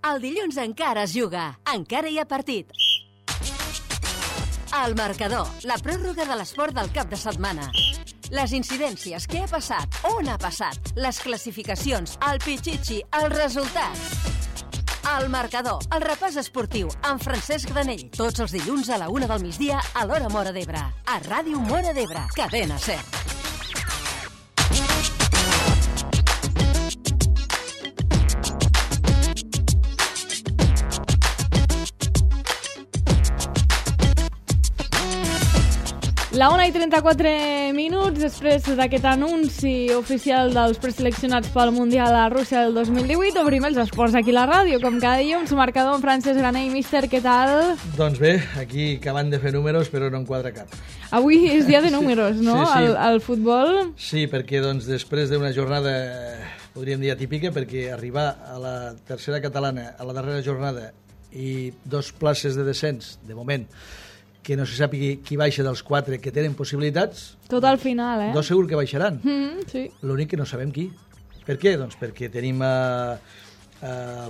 El dilluns encara es juga, encara hi ha partit. El marcador, la pròrroga de l'esport del cap de setmana. Les incidències, què ha passat, on ha passat, les classificacions, el pitxitxi, els resultats. El marcador, el repàs esportiu, amb Francesc Granell. Tots els dilluns a la 1 del migdia a l'hora Móra d'Ebre. A Ràdio Móra d'Ebre, Cadena Ser. La 1:34, després d'aquest anunci oficial dels preseleccionats pel Mundial a Rússia del 2018, obrim els esports aquí a la ràdio, com cada dilluns, marcador amb Francesc Granell. Míster, què tal? Doncs bé, aquí acabant de fer números, però no en quadra cap. Avui és dia de números, no? Sí. Al futbol? Sí, perquè doncs, després d'una jornada, podríem dir atípica, perquè arribar a la tercera catalana a la darrera jornada i 2 places de descens, de moment, que no se sàpiga qui baixa dels 4 que tenen possibilitats. Tot al final, 2 segur que baixaran. Sí. L'únic que no sabem qui. Per què? Doncs perquè tenim el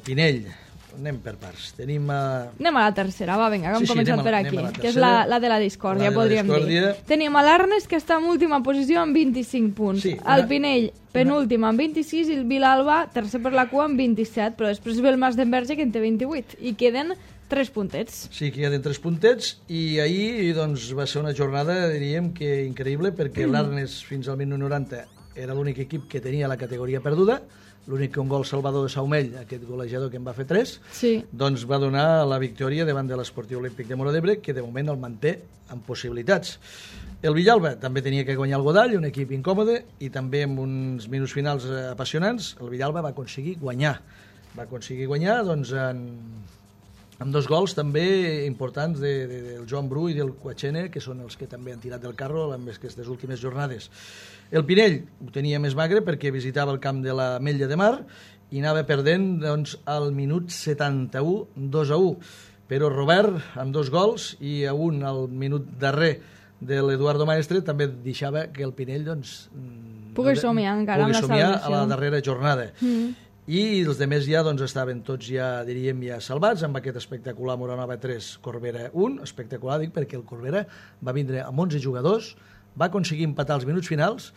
Pinell. Anem per parts. Anem a la tercera, va, vinga, hem començat per aquí, que és tercera, la de la discòrdia, podríem dir. Tenim l'Arnes, que està en última posició amb 25 punts. Sí, el Pinell, penúltim amb 26, i el Vilalba, tercer per la cua, amb 27, però després ve el Masdenverge, que en té 28, i queden 3 puntets. Sí, que queden 3 puntets, i ahir doncs, va ser una jornada, diríem, que increïble, perquè l'Arnes fins al 1990 era l'únic equip que tenia la categoria perduda, l'únic que un gol Salvador de Saumell, aquest golejador que en va fer 3, doncs va donar la victòria davant de l'Esportiu Olímpic de Móra d'Ebre, que de moment el manté amb possibilitats. El Villalba també tenia que guanyar el Godall, un equip incòmode, i també amb uns minuts finals apassionants, el Villalba va aconseguir guanyar. Va aconseguir guanyar, doncs, amb 2 gols també importants del Joan Bru i del Quachene, que són els que també han tirat del carro en aquestes últimes jornades. El Pinell ho tenia més magre perquè visitava el camp de la Mella de Mar i anava perdent doncs, al minut 71, 2-1. Però Robert, amb 2 gols i a un al minut darrer de l'Eduardo Maestre, també deixava que el Pinell doncs, pugui somiar encara amb la salvació a la darrera jornada. I els demés ja doncs, estaven tots ja, diríem, ja salvats amb aquest espectacular Moranova 3, Corbera 1, espectacular, dic, perquè el Corbera va vindre amb 11 jugadors, va aconseguir empatar els minuts finals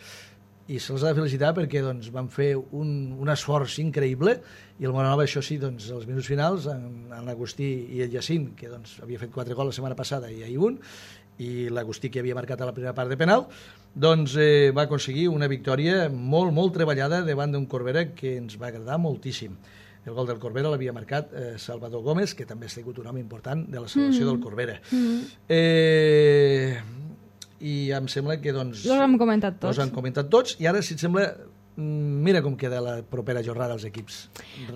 i se'ls ha de felicitar perquè doncs, van fer un esforç increïble, i el Moranova, això sí, doncs, els minuts finals, en l'Agustí i el Jacint, que doncs, havia fet 4 gols la setmana passada i ahir un, i l'Agustí, que havia marcat a la primera part de penal, doncs va aconseguir una victòria molt, molt treballada davant d'un Corbera que ens va agradar moltíssim. El gol del Corbera l'havia marcat Salvador Gómez, que també ha sigut un home important de la salvació del Corbera. I em sembla que doncs... Los hem comentat tots. Los han comentat tots, i ara, si et sembla, mira com queda la propera jornada als equips.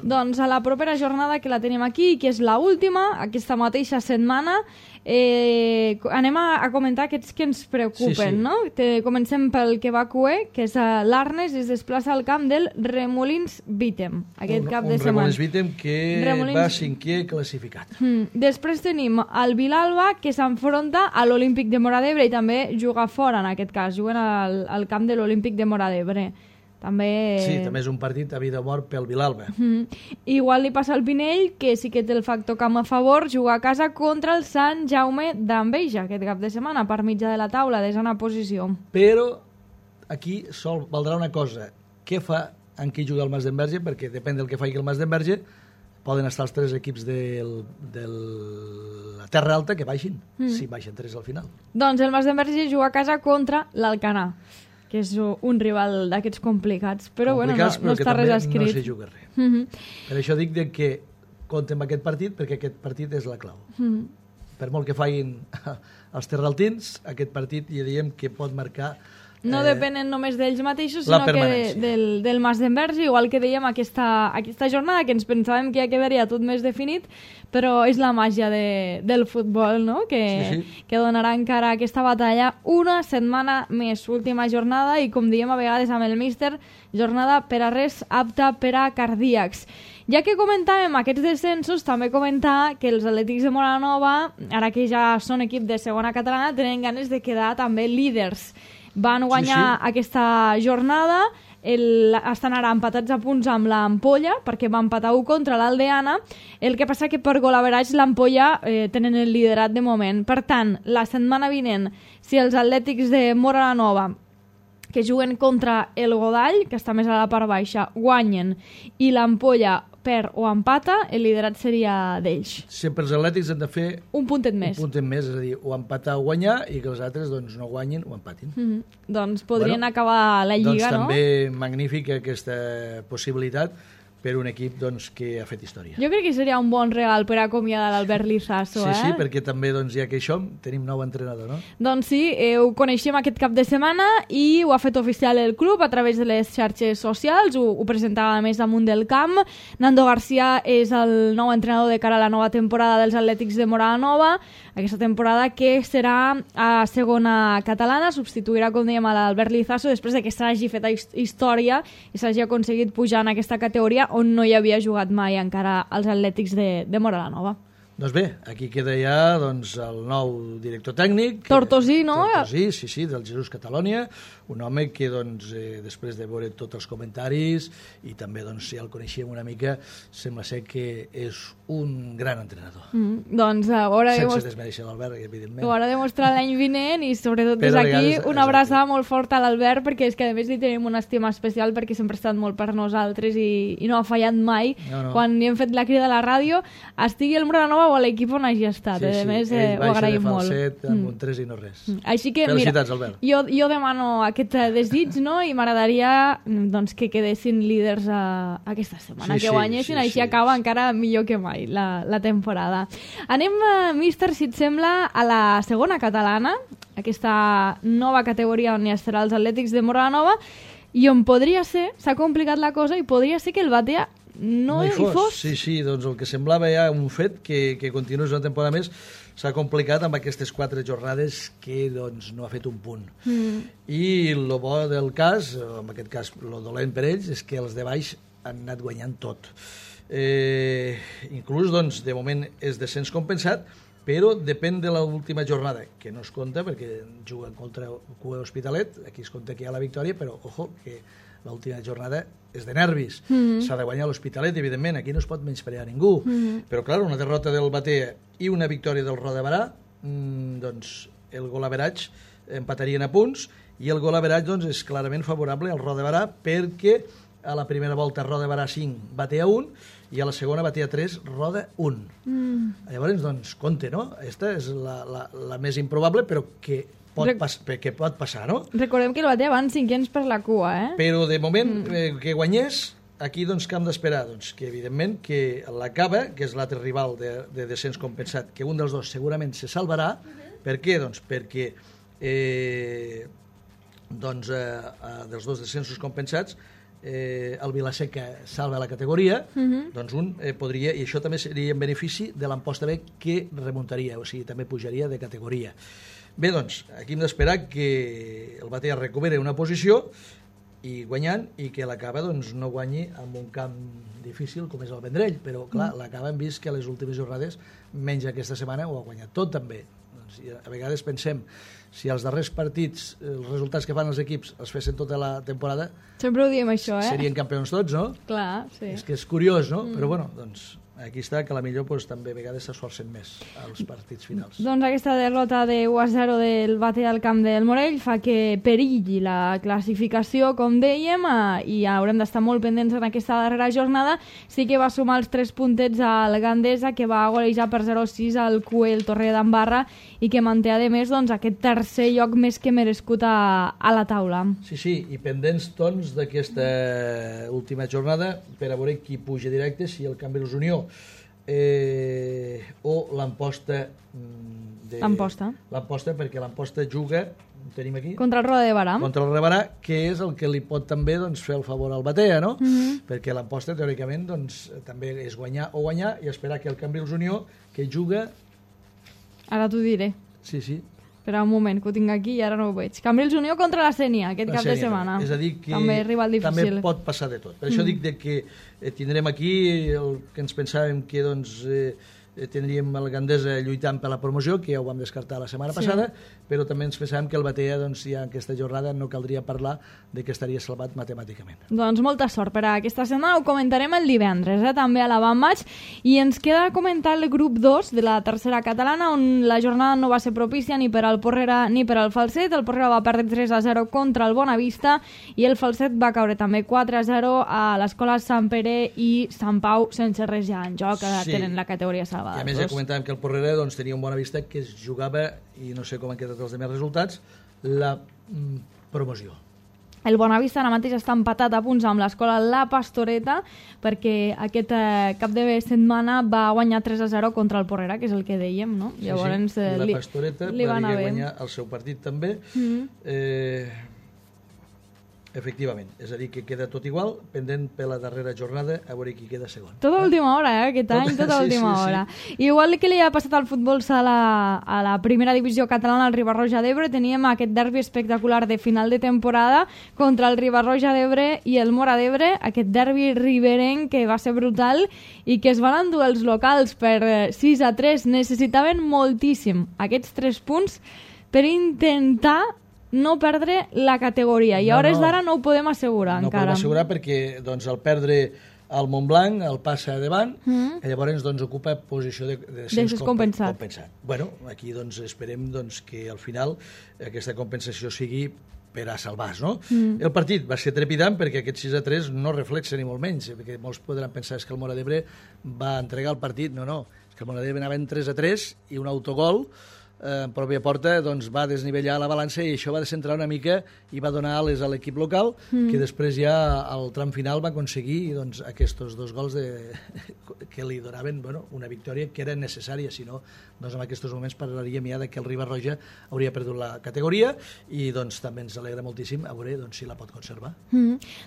Doncs a la propera jornada, que la tenim aquí, que és l'última, aquesta mateixa setmana, anem a comentar aquests que ens preocupen, no? Comencem pel que va cuer, que és l'Arnes, es desplaça al camp del Remolins Vítem, aquest cap de setmana. Un Remolins Vítem que va 5è classificat. Després tenim el Vilalba, que s'enfronta a l'Olímpic de Móra d'Ebre i també juga fora, en aquest cas, juguen al camp de l'Olímpic de Móra d'Ebre. Sí, també és un partit a vida o mort pel Vilalba. Igual li passa al Pinell, que sí que té el factor camp a favor, juga a casa contra el Sant Jaume d'Enveja aquest cap de setmana, per mitjà de la taula, desena posició. Però aquí sol valdrà una cosa: què fa en qui juga el Masdenverge? Perquè depèn del que faci el Masdenverge, poden estar els 3 equips de la Terra Alta que baixin, si baixen 3 al final. Doncs el Masdenverge juga a casa contra l'Alcanar, que és un rival d'aquests complicats, però bueno, no està res escrit. No se juga res. Per això dic que compte amb aquest partit, perquè aquest partit és la clau. Per molt que facin els terraltins, aquest partit ja diem que pot marcar... No depenen només d'ells mateixos, sinó que del Masdenverge, igual que dèiem aquesta jornada, que ens pensàvem que ja quedaria tot més definit, però és la màgia del futbol, no? Que donarà encara aquesta batalla una setmana més, última jornada, i com diem a vegades amb el míster, jornada per a res apta per a cardíacs. Ja que comentàvem aquests descensos, també comentar que els Atlètics de Moranova, ara que ja són equip de segona catalana, tenen ganes de quedar també líders. Van guanyar aquesta jornada, estan ara empatats a punts amb l'Ampolla, perquè va empatar 1 contra l'Aldeana. El que passa que per golaverage l'Ampolla tenen el liderat de moment. Per tant, la setmana vinent, si els Atlètics de Móra la Nova, que juguen contra el Godall, que està més a la part baixa, guanyen, i l'Ampolla perd o empata, el liderat seria d'ells. Sempre els Atlètics han de fer un puntet més. Un puntet més, és a dir, o empatar o guanyar, i que els altres doncs, no guanyin o empatin. Doncs podrien acabar la Lliga, doncs, no? També magnífica aquesta possibilitat per un equip doncs, que ha fet història. Jo crec que seria un bon regal per acomiadar l'Albert Lizaso. Sí, perquè també, doncs, ja que això, tenim nou entrenador, no? Doncs sí, ho coneixem aquest cap de setmana i ho ha fet oficial el club a través de les xarxes socials, ho presentava més damunt del camp. Nando García és el nou entrenador de cara a la nova temporada dels Atlètics de Móra la Nova, aquesta temporada que serà a segona catalana, substituirà, com dèiem, a l'Albert Lizaso després de que s'hagi fet història i s'hagi aconseguit pujar en aquesta categoria on no hi havia jugat mai encara els Atlètics de Móra la Nova. Doncs bé, aquí queda ja doncs, el nou director tècnic. Tortosí, no? Tortosí, sí, del Jesús Catalònia, un home que doncs, després de veure tots els comentaris i també doncs, si el coneixíem una mica, sembla ser que és un gran entrenador. Doncs sense desmereixer l'Albert, evidentment. Ho haurà de mostrar l'any vinent i sobretot des d'aquí una abraçada molt forta a l'Albert, perquè és que a més li tenim una estima especial perquè sempre ha estat molt per nosaltres i no ha fallat mai. No. Quan li hem fet la crida a la ràdio, estigui el Móra la Nova o a l'equip on hagi estat. A més, ho agraïm molt. Ell baixa de falset amb un 3 i no res. Així que, felicitats, Albert. Jo demano aquest desig, no? I m'agradaria doncs, que quedessin líders aquesta setmana, que guanyessin, així acaba encara millor que mai la temporada. Anem, míster, si et sembla, a la segona catalana, aquesta nova categoria on hi estarà els Atlètics de Móra la Nova, i on podria ser, s'ha complicat la cosa, i podria ser que el Batea no hi fos. Sí, doncs el que semblava ja un fet que continués una temporada més s'ha complicat amb aquestes 4 jornades que doncs, no ha fet un punt. I el bo del cas, en aquest cas el dolent per ells, és que els de baix han anat guanyant tot. Inclús, doncs, de moment és descens compensat, però depèn de l'última jornada, que no es compta perquè juguen contra Cue Hospitalet, aquí es compta que hi ha la victòria, però ojo, que l'última jornada és de nervis. S'ha de guanyar l'Hospitalet, evidentment, aquí no es pot menysprear ningú. Però, clar, una derrota del Batea i una victòria del Roda de Barà, doncs el golaveratge empatarien a punts, i el golaveratge doncs, és clarament favorable al Roda de Barà perquè a la primera volta Roda de Barà 5, Batea 1, i a la segona Batea 3, Roda 1. Llavors, doncs, compte, no? Aquesta és la més improbable, però que pot passar, no? Recordem que el Batea van 500 per la cua, eh? Però de moment que guanyés, aquí doncs que hem d'esperar? Doncs que evidentment que la Cava, que és l'altre rival de descens compensat, que un dels dos segurament se salvarà. Per què? Doncs perquè dels dos descensos compensats el Vilaseca salva la categoria, doncs un podria, i això també seria en benefici de l'Amposta B, que remuntaria, o sigui, també pujaria de categoria. Bé, doncs, aquí hem d'esperar que el Batea recuperi una posició i guanyant, i que la Cava doncs, no guanyi en un camp difícil com és el Vendrell, però clar, la Cava hem vist que a les últimes jornades, menys aquesta setmana, ho ha guanyat tot també. Doncs, a vegades pensem, si els darrers partits, els resultats que fan els equips els fessin tota la temporada, sempre ho diem això, serien campions tots, no? Clar, sí. És que és curiós, no? Però bueno, doncs aquí està, que a la millor també a vegades s'esforcen més als partits finals. Doncs aquesta derrota de 1-0 del Batea al camp del Morell fa que perilli la classificació, com dèiem, i haurem d'estar molt pendents en aquesta darrera jornada. Sí que va sumar els 3 puntets al Gandesa, que va golejar per 0-6 al Cue, el Torre d'Embarra, i que manté, a més, doncs, aquest tercer lloc més que merescut a la taula. Sí, i pendents, doncs, d'aquesta última jornada per a veure qui puja directe, si el Cambrils Unió o l'Amposta l'Amposta, perquè l'Amposta juga, ho tenim aquí, contra el Roda de Barà, que és el que li pot també doncs, fer el favor al Batea, no? Perquè l'Amposta teòricament doncs, també és guanyar o guanyar i esperar que el Cambrils Unió, que juga, ara t'ho diré, sí, espera un moment, que ho tinc aquí i ara no ho veig. Cambrils Unió contra la Sénia, aquest cap de setmana. És a dir, que també rival difícil. També pot passar de tot. Per això dic que tindrem aquí el que ens pensàvem que doncs, tindríem el Gandesa lluitant per la promoció, que ja ho vam descartar la setmana passada, però també ens pensàvem que el Batea, doncs, ja en aquesta jornada no caldria parlar de que estaria salvat matemàticament. Doncs molta sort per a aquesta setmana, ho comentarem el divendres, també a l'avantmatch, i ens queda comentar el grup 2 de la tercera catalana, on la jornada no va ser propícia ni per al Porrera ni per al Falset. El Porrera va perdre 3-0 contra el Bonavista i el Falset va caure també 4-0 a l'escola Sant Pere i Sant Pau, sense res ja en joc, tenen la categoria salvada. I a més ja comentàvem que el Porrera doncs, tenia un Bonavista que es jugava, i no sé com han quedat els demés resultats, la promoció. El Bonavista ara mateix està empatat a punts amb l'escola La Pastoreta, perquè aquest cap de setmana va guanyar 3-0 contra el Porrera, que és el que dèiem, no? Llavors, sí. I la Pastoreta va guanyar el seu partit també. Efectivament, és a dir, que queda tot igual, pendent per la darrera jornada, a veure qui queda segon. Tota última hora, aquest any, tota última hora. Igual que li ha passat al futbol sala a la primera divisió catalana, al Riba-roja d'Ebre, teníem aquest derbi espectacular de final de temporada contra el Riba-roja d'Ebre i el Móra d'Ebre, aquest derbi riberenc que va ser brutal i que es van endur els locals per 6-3. Necessitaven moltíssim aquests 3 punts per intentar no perdre la categoria, i a hores d'ara no ho podem assegurar encara. No ho podem assegurar perquè doncs, al perdre el Montblanc el passa davant i llavors doncs, ocupa posició de descens compensat. Bueno, aquí doncs, esperem doncs, que al final aquesta compensació sigui per a salvar-se, no? El partit va ser trepidant perquè aquest 6-3 no reflexa ni molt menys, perquè molts podran pensar que el Móra d'Ebre va entregar el partit. No, és que el Móra d'Ebre anava en 3-3 i un autogol en pròpia porta doncs, va desnivellar la balança i això va descentrar una mica i va donar ales a l'equip local, que després ja al tram final va aconseguir doncs, aquests 2 gols que li donaven una victòria que era necessària, si no doncs, en aquests moments parlaríem ja que el Riba-roja hauria perdut la categoria i doncs, també ens alegra moltíssim a veure doncs, si la pot conservar.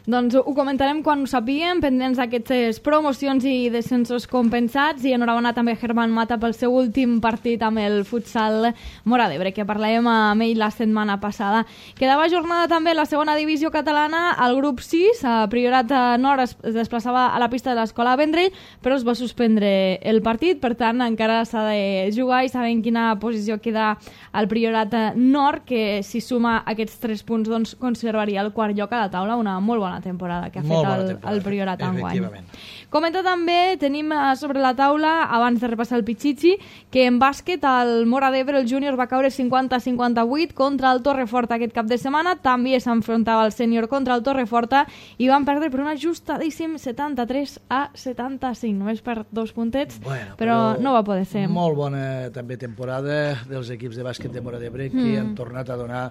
Doncs ho comentarem quan ho sapiguem, pendents d'aquestes promocions i descensos compensats, i enhorabona també a Germán Mata pel seu últim partit amb el futsal Móra d'Ebre, que parlàvem amb ell la setmana passada. Quedava jornada també la segona divisió catalana, al grup 6, a Priorat Nord es desplaçava a la pista de l'escola Vendrell, però es va suspendre el partit, per tant encara s'ha de jugar i sabem quina posició queda al Priorat Nord, que si suma aquests 3 punts doncs conservaria el quart lloc a la taula. Una molt bona temporada que ha fet el Priorat enguany. Comenta també, tenim sobre la taula, abans de repassar el Pichichi, que en bàsquet el Móra d'Ebre, el júnior, va caure 50-58 contra el Torreforta aquest cap de setmana. També s'enfrontava el sènior contra el Torreforta i van perdre per un ajustadíssim 73-75, només per 2 puntets, però no va poder ser. Molt bona també temporada dels equips de bàsquet de Móra d'Ebre que han tornat a donar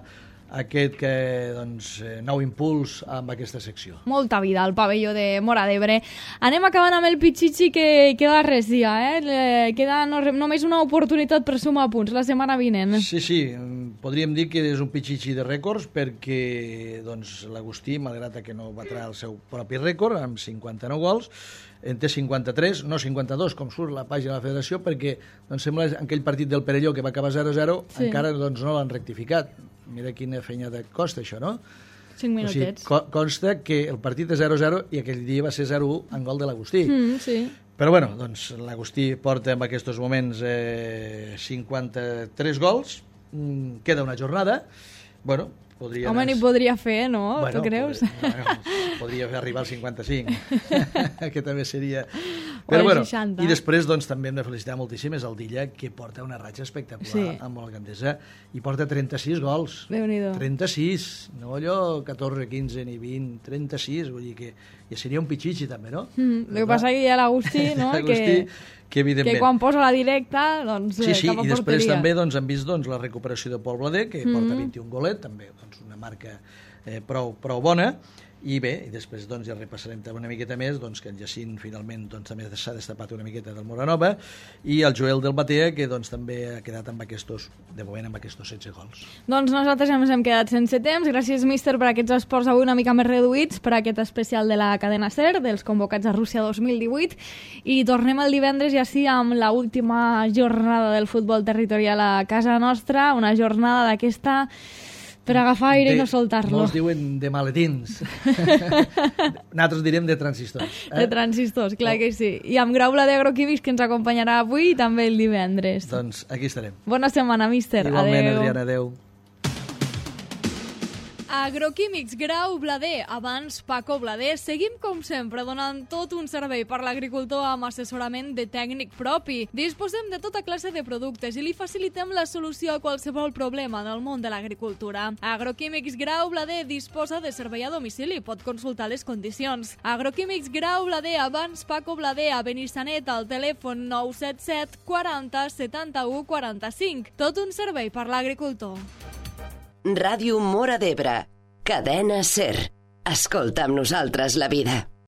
aquest nou impuls amb aquesta secció. Molta vida al pavelló de Móra d'Ebre. Anem acabant amb el Pichichi, que queda res ja, queda només una oportunitat per sumar punts la setmana vinent. Sí, podríem dir que és un Pichichi de rècords perquè l'Agustí, malgrat que no batrà el seu propi rècord amb 59 gols, en té 53, no 52, com surt la pàgina de la federació, perquè sembla que aquell partit del Perelló que va acabar 0-0 encara no l'han rectificat. Mira quina feinada costa això, no? 5 minutets. O sigui, consta que el partit és 0-0 i aquell dia va ser 0-1 en gol de l'Agustí. Sí. Però bueno, doncs l'Agustí porta en aquests moments 53 gols, queda una jornada, bueno, podria... Home, n'hi podria fer, no? Bueno, tu creus? Podria arribar al 55, que també seria... Però bueno, i després doncs, també hem de felicitar moltíssim és el Dilla, que porta una ratxa espectacular amb el Gandesa i porta 36 gols. Déu-n'hi-do. 36, no allò 14, 15 ni 20, 36, vull dir que ja seria un Pichichi també, no? El que passa que hi ha l'Agustí, no? que quan posa la directa, doncs sí, cap a porteria. I després també hem vist la recuperació de Pol Blader, que porta 21 golet, també una marca prou bona. I bé, i després ja repassarem una miqueta més que el Jacint finalment també s'ha destapat una miqueta del Moranova, i el Joel del Batea, que també ha quedat de moment amb aquests 16 gols. Doncs nosaltres ja ens hem quedat sense temps. Gràcies, míster, per aquests esports avui una mica més reduïts, per aquest especial de la cadena SER, dels convocats a Rússia 2018, i tornem el divendres ja sí amb l'última jornada del futbol territorial a casa nostra, una jornada d'aquesta Per agafar aire i no soltar-lo. Molts diuen de maletins. Nosaltres direm de transistors. De transistors, clar que sí. I amb Grau Blader Agroquímics, que ens acompanyarà avui i també el divendres. Doncs aquí estarem. Bona setmana, míster. Igualment, Adriana, adeu. Agroquímics Grau Blader, abans Paco Blader. Seguim, com sempre, donant tot un servei per l'agricultor amb assessorament de tècnic propi. Disposem de tota classe de productes i li facilitem la solució a qualsevol problema del món de l'agricultura. Agroquímics Grau Blader disposa de servei a domicili. Pot consultar les condicions. Agroquímics Grau Blader, abans Paco Blader, a Benissanet, al telèfon 977 40 71 45. Tot un servei per l'agricultor. Ràdio Móra d'Ebre, cadena SER. Escolta amb nosaltres la vida.